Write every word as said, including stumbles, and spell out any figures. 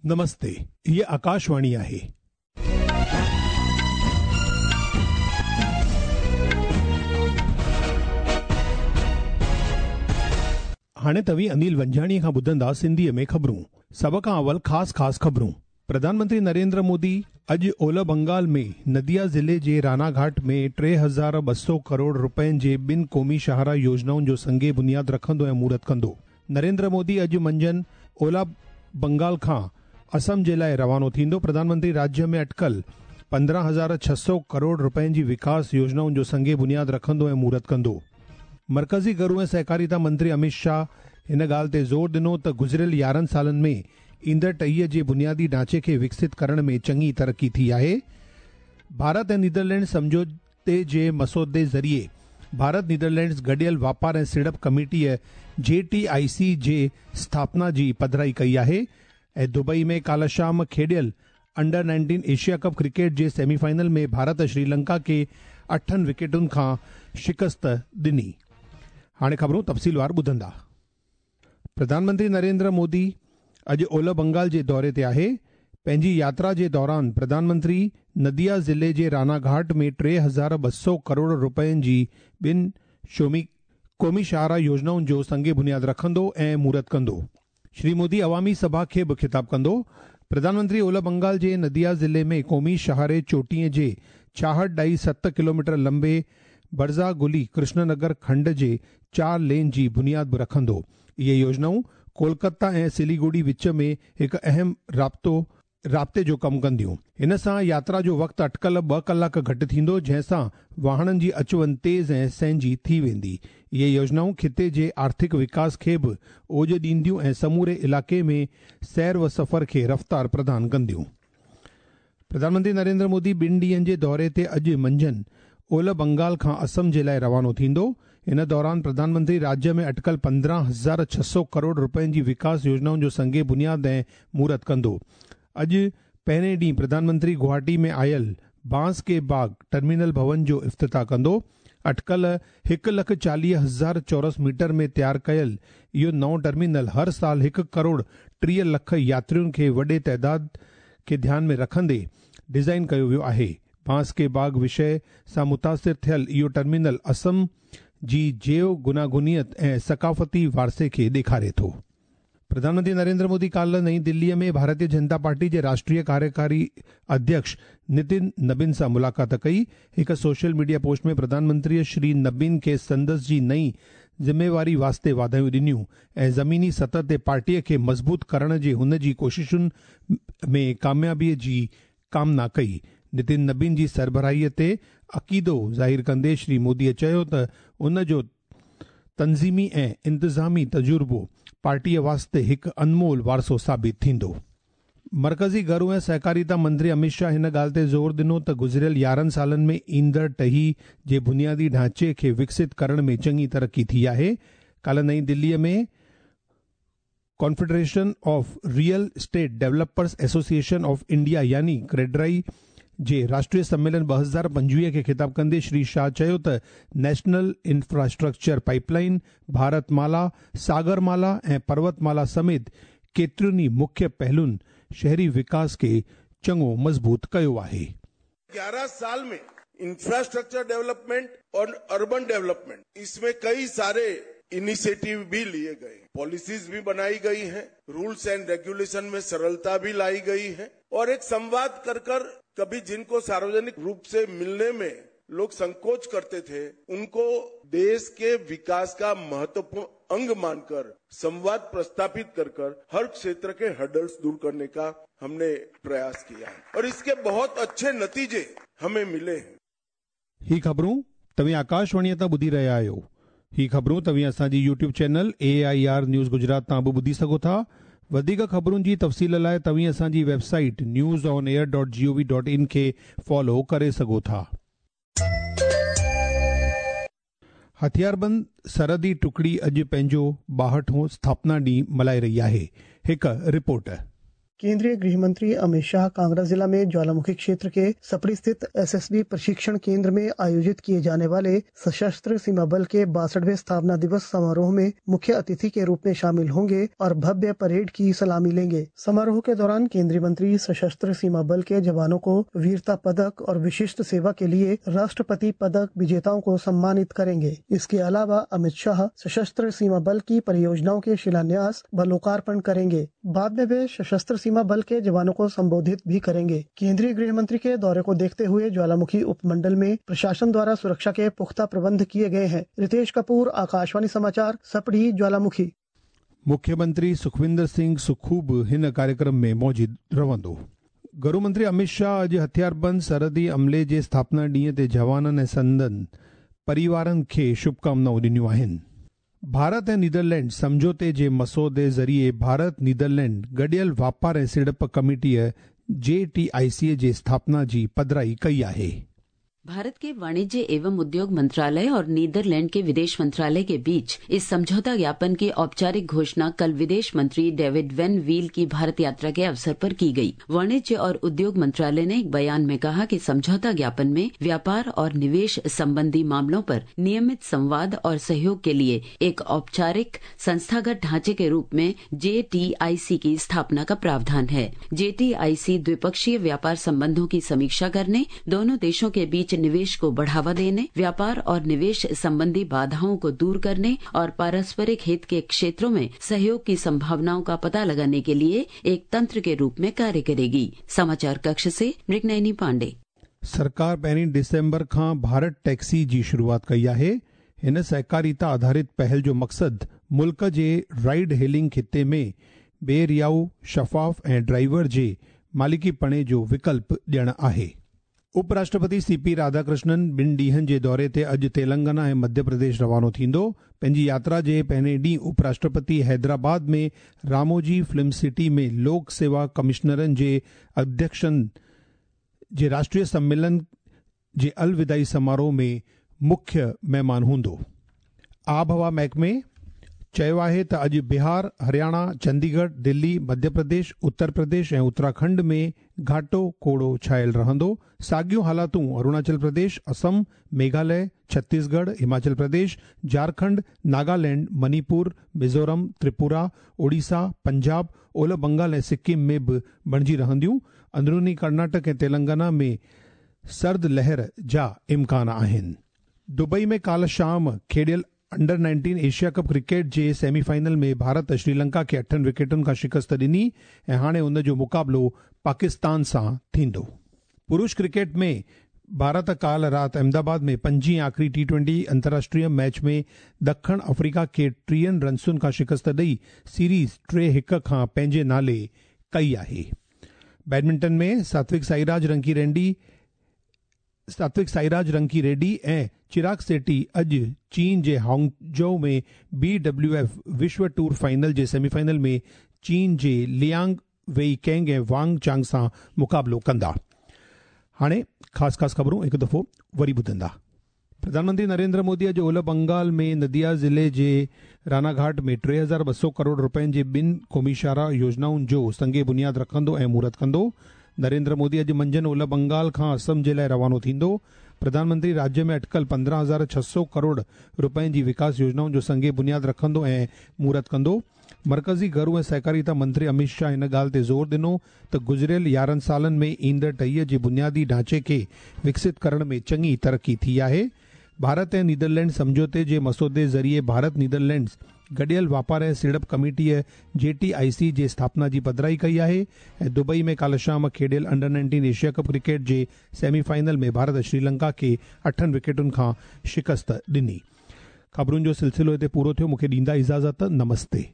नमस्ते, हीअ आकाशवाणी आहे. हाणे तव्हीं अनिल वंजाणीअ खां ॿुधंदा सिंधीअ में ख़बरूं. सभ खां अवल ख़ासि ख़ासि ख़बरूं. प्रधानमंत्री नरेंद्र मोदी अॼु ओलह बंगाल में नदिया ज़िले जे रानाघाट में टे हज़ार ॿ सौ करोड़ रुपयनि जे ॿिनि क़ौमी शाहराह योजनाउनि जो संगे बुनियाद रखंदो ऐं मुहूर्त कंदो. नरेंद्र मोदी अॼु मंझंदि ओलह बंगाल खां असम जे लाइ रवानो थींदो. प्रधानमंत्री राज्य में अटकल पंद्रहं हज़ार छह सौ करोड़ रुपयनि जी विकास योजनाउनि जो संगे बुनियाद रखंदो ऐं मुहूर्त कंदो. मर्कज़ी घरू ऐं सहकारिता मंत्री अमित शाह हिन ॻाल्हि ते ज़ोर ॾिनो त गुज़िरियल यारहं सालनि में ईंदड़ टहीअ जे बुनियादी ढांचे खे विकसित करण में चङी तरक़ी थी आहे. भारत ऐं नीदरलैंड सम्झौते जे मसौदे ज़रिए भारत नीदरलैंड्स गॾियल वापार ऐं सीड़प कमेटीअ जे टी I सी जे स्थापना जी पधराई कई आहे. ऐं दुबई में काल्ह शाम खेॾियल under nineteen Asia cup cricket जे सेमीफाइनल में भारत श्रीलंका खे अठनि विकेटुनि खां शिकस्त ॾिनी. हाणे ख़बरूं तफ़सीलवार ॿुधंदा. प्रधानमंत्री नरेंद्र मोदी अॼु ओलह बंगाल जे दौरे ते आहे. पंहिंजी यात्रा जे दौरान प्रधानमंत्री नदिया ज़िले जे रानाघाट में टे हज़ार ॿ सौ करोड़ रुपयनि जी ॿिनि शोमी क़ौमी शाहराह योजनाउनि जो संगे बुनियाद रखंदो ऐं मुहूर्त कंदो. श्री मोदी अवामी सभा खे बि ख़िताब कंदो. प्रधानमंत्री ओलह बंगाल जे नदिया ज़िले में क़ौमी शाहरे चोटीअ जे छाहठि ॾाई सत किलोमीटर लंबे बर्ज़ा गुली कृष्णनगर खंड जे चार लेन जी बुनियाद बि रखंदो. इहे योजनाऊं कोलकाता ऐं सिलीगुड़ी विच में हिकु अहम राब्तो राब्ते जो कमु कंदियूं. हिन सां यात्रा जो वक़्तु अटकल ॿ कलाक घटि थींदो, जंहिंसां वाहणनि जी अचु वञ तेज़ ऐं सहंजी थी वेंदी. इहे योजनाऊं खिते जे आर्थिक विकास खे बि ओज ॾींदियूं ऐं समूरे इलाइक़े में सैर व सफ़र खे रफ़्तार प्रदान कंदियूं. प्रधानमंत्री नरेंद्र मोदी ॿिनि ॾींहनि जे दौरे ते अॼु मंझंदि ओलह बंगाल खां असम जे लाइ रवानो थींदो. इन दौरान प्रधानमंत्री राज्य में अटकल पंद्रहं हज़ार छह सौ करोड़ रुपयनि जी विकास योजनाउनि जो संगे बुनियाद ऐं मुहूर्त कंदो. अॼु पहिरें ॾींहुं प्रधानमंत्री गुवाहाटी में आयल बांस के बाग टर्मिनल भवन जो इफ़्तिताह कंदो. अटकल हिकु लख चालीह हज़ार चौरस मीटर में तयारु कयल इहो नओं टर्मिनल हर साल हिकु करोड़ टीह लख यात्रियुनि खे वॾे तादाद खे ध्यान में रखंदे डिज़ाइन कयो वियो आहे. बांस के बाग विषय सां मुतासिर थियल इहो टर्मिनल असम जी जैव गुनागुनियत ऐं सकाफ़ती वारसे खे ॾेखारे थो. प्रधानमंत्री नरेंद्र मोदी काल्ह नई दिल्लीअ में भारतीय जनता पार्टी जे राष्ट्रीय कार्यकारी अध्यक्ष नितिन नबीन सां मुलाक़ात कई. हिकु सोशल मीडिया पोस्ट में प्रधानमंत्रीअ श्री नबीन खे संदसि जी नई ज़िम्मेवारी वास्ते वाधायूं ॾिनियूं ऐं ज़मीनी सतह ते पार्टीअ खे मज़बूत करण जे हुन जी कोशिशुनि में कामयाबीअ जी कामना कई. नितिन नबीन जी सरबराहीअ ते अक़ीदो ज़ाहिर कंदे श्री मोदीअ चयो त उन जो तंज़ीमी ऐं इंतिज़ामी तजुर्बो पार्टीअ वास्ते हिकु अनमोल वारसो साबित थींदो. मर्कज़ी घरू ऐं सहकारिता मंत्री अमित शाह हिन ॻाल्हि ते ज़ोर ॾिनो त गुज़िरियल यारहं सालनि में ईंदड़ टही जे बुनियादी ढांचे खे विकसित करण में चङी तरक़ी थी आहे. काल्ह नई दिल्लीअ में confederation of real estate developers association of India यानी क्रेडराई जे राष्ट्रीय सम्मेलन ॿ हज़ार पंजवीह खे ख़िताब कंदे श्री शाह चयो त national infrastructure pipeline, Bharatmala, Sagarmala ऐं पर्वतमाला समेत केतिरियुनि ई मुख्य पहलुनि शहरी विकास खे चङो मज़बूत कयो आहे. ग्यारह साल में इंफ्रास्ट्रक्चर डेवलपमेंट और अर्बन डेवलपमेंट, इसमें कई सारे इनिशिएटिव भी लिए गए, पॉलिसीज भी बनाई गई हैं, रूल्स एंड रेगुलेशन में सरलता भी लाई गई है और एक संवाद कर कर कभी जिनको सार्वजनिक रूप से मिलने में लोग संकोच करते थे, उनको देश के विकास का महत्वपूर्ण अंग मानकर संवाद प्रस्तापित कर कर हर क्षेत्र के हर्डल्स दूर करने का हमने प्रयास किया है और इसके बहुत अच्छे नतीजे हमें मिले हैं. ही ख़बरूं तव्हीं आकाशवाणीअ तां ॿुधी रहिया आहियो. ही ख़बरूं तव्हीं असांजी YouTube channel A I R news Gujarat तां बि ॿुधी सघो था. वधीक ख़बरुनि जी तफ़सील लाइ तव्हीं असांजी website news on air dot G O V dot in खे फॉलो करे सघो था. हथियारबंद सरहदी टुकड़ी अॼु पंहिंजो ॿाहठों स्थापना ॾींहुं मल्हाए रही आहे. हिकु रिपोर्ट. केंद्रीय गृह मंत्री अमित शाह कांगड़ा जिला में ज्वालामुखी क्षेत्र के सपड़ी स्थित एसएसबी प्रशिक्षण केंद्र में आयोजित किए जाने वाले सशस्त्र सीमा बल के बासठवें स्थापना दिवस समारोह में मुख्य अतिथि के रूप में शामिल होंगे और भव्य परेड की सलामी लेंगे। समारोह के दौरान केंद्रीय मंत्री सशस्त्र सीमा बल के जवानों को वीरता पदक और विशिष्ट सेवा के लिए राष्ट्रपति पदक विजेताओं को सम्मानित करेंगे। इसके अलावा अमित शाह सशस्त्र सीमा बल की परियोजनाओं के शिलान्यास व लोकार्पण करेंगे। बाद में वे सशस्त्र सीमा बल के जवानों को संबोधित भी करेंगे। केंद्रीय गृह मंत्री के दौरे को देखते हुए ज्वालामुखी उपमंडल में प्रशासन द्वारा सुरक्षा के पुख्ता प्रबंध किए गए हैं। रितेश कपूर, आकाशवाणी समाचार, सपड़ी, ज्वालामुखी। मुख्यमंत्री सुखविंदर सिंह सुखू बि हिन कार्यक्रम में मौजूद रहंदो। गृह मंत्री अमित शाह अॼु हथियारबंद सरहदी अमले जे स्थापना ॾींहं ते जवाननि ऐं संदन परिवारनि खे शुभकामनाऊं ॾिनियूं आहिनि। भारत ऐं नीदरलैंड सम्झौते जे मसौदे ज़रिए भारत नीदरलैंड गॾियल वापार ऐं सीड़प कमेटीअ जे टी I सी जे स्थापना जी पधराई कई आहे। भारत के वाणिज्य एवं उद्योग मंत्रालय और नीदरलैंड के विदेश मंत्रालय के बीच इस समझौता ज्ञापन की औपचारिक घोषणा कल विदेश मंत्री डेविड वेन व्हील की भारत यात्रा के अवसर पर की गई। वाणिज्य और उद्योग मंत्रालय ने एक बयान में कहा कि समझौता ज्ञापन में व्यापार और निवेश संबंधी मामलों पर नियमित संवाद और सहयोग के लिए एक औपचारिक संस्थागत ढांचे के रूप में जे टी I सी की स्थापना का प्रावधान है। जे टी I सी द्विपक्षीय व्यापार संबंधों की समीक्षा करने, दोनों देशों के बीच निवेश को बढ़ावा देने, व्यापार और निवेश संबंधी बाधाओं को दूर करने और पारस्परिक हित के क्षेत्रों में सहयोग की संभावनाओं का पता लगाने के लिए एक तंत्र के रूप में कार्य करेगी। समाचार कक्ष से मृगनयनी पांडे। सरकार पहिरीं डिसेंबर खां भारत टैक्सी जी शुरुआत कई आहे। हिन सहकारिता आधारित पहल जो मक़सदु मुल्क जे राइड हेलिंग खिते में बेरियाऊ, शफ़ाफ़ ऐं ड्राइवर जे मालिकीपणे जो विकल्प ॾियणु आहे। उपराष्ट्रपति सीपी राधाकृष्णन ॿिनि ॾींहनि जे दौरे ते अॼु तेलंगाना ऐं मध्य प्रदेश रवानो थींदो। पंहिंजी यात्रा जे पहिरें ॾींहुं उपराष्ट्रपति हैदराबाद में रामोजी फिल्म सिटी में लोक सेवा कमिश्नरनि जे अध्यक्षनि जे राष्ट्रीय सम्मेलन जे अलविदाई समारोह में मुख्य महिमान हूंदो। आबहवा महकमे चयो आहे त अॼु बिहार, हरियाणा, चंडीगढ़, दिल्ली, मध्य प्रदेश, उत्तर प्रदेश ऐं उत्तराखंड में घाटो कोड़ो छायल रहंदो। साॻियूं हालातूं अरुणाचल प्रदेश, असम, मेघालय, छत्तीसगढ़, हिमाचल प्रदेश, झारखंड, नागालैंड, मणिपुर, मिज़ोरम, त्रिपुरा, ओडिशा, पंजाब, ओलह बंगाल ऐं सिक्किम में बि बणिजी रहंदियूं। अंदरूनी कर्नाटक ऐं तेलंगाना में सर्द लहर जा इम्कान आहिनि। दुबई में काल्ह शाम खेॾियल अंडर नाइनटीन एशिया कप cricket जे सेमीफाइनल में भारत श्रीलंका खे अठनि विकेटुनि खां शिकस्त ॾिनी ऐं हाणे उन जो मुक़ाबिलो पाकिस्तान सां थींदो। पुरुष क्रिकेट में भारत काल्ह राति अहमदाबाद में पंजीं आख़िरी टी ट्वेंटी अंतर्राष्ट्रीय मैच में दखिण अफ्रीका खे टीहनि रन्सुनि खां शिकस्त ॾेई सीरीज़ टे हिकु खां पंहिंजे नाले कई आहे। बैडमिंटन में सात्विक साईराज रंकी रेड्डी सात्विक साईराज रंकी रेड्डी ऐं चिराग सेठी अॼु चीन जे हांगझो में बी डब्ल्यू एफ विश्व टूर फाइनल जे सेमीफाइनल में चीन जे लियांग वेई कैंग ऐं वांग चांग सां मुक़ाबिलो कंदा। हाणे ख़ासि ख़ासि ख़बरूं हिकु दफ़ो वरी ॿुधंदा। प्रधानमंत्री नरेंद्र मोदी अॼु ओलह बंगाल में नदिया ज़िले जे रानाघाट में टे हज़ार ॿ सौ करोड़ रुपयनि जे ॿिनि क़ौमी शाहराह योजनाउनि जो संगे बुनियाद रखंदो ऐं मुहूर्त कंदो। नरेंद्र मोदी अॼु मंझंदि ओलह बंगाल खां असम जे लाइ रवानो थींदो। प्रधानमंत्री राज्य में अटकल पंद्रहं हज़ार छह सौ करोड़ रुपयनि जी विकास योजनाउनि जो संगे बुनियाद रखंदो ऐं मुहूर्त कंदो। मर्कज़ी घरू ऐं सहकारिता मंत्री अमित शाह हिन ॻाल्हि ते ज़ोर ॾिनो त गुज़िरियल यारहं सालनि में ईंदड़ टहीअ जे बुनियादी ढांचे खे विकसित करण में चङी तरक़ी थी आहे। भारत ऐं नीदरलैंड सम्झौते जे मसौदे ज़रिए भारत नीदरलैंड्स गॾियल वापार ऐं सीड़प कमेटीअ जे टी I सी जे स्थापना जी पधराई कई आहे ऐं दुबई में काल्ह शाम खेॾियल under nineteen Asia cup cricket जे सेमीफाइनल में भारत श्रीलंका खे अठनि विकेटुनि खां शिकस्त ॾिनी। ख़बरुनि जो सिलसिलो हिते पूरो थियो। मूंखे ॾींदा इजाज़त। नमस्ते।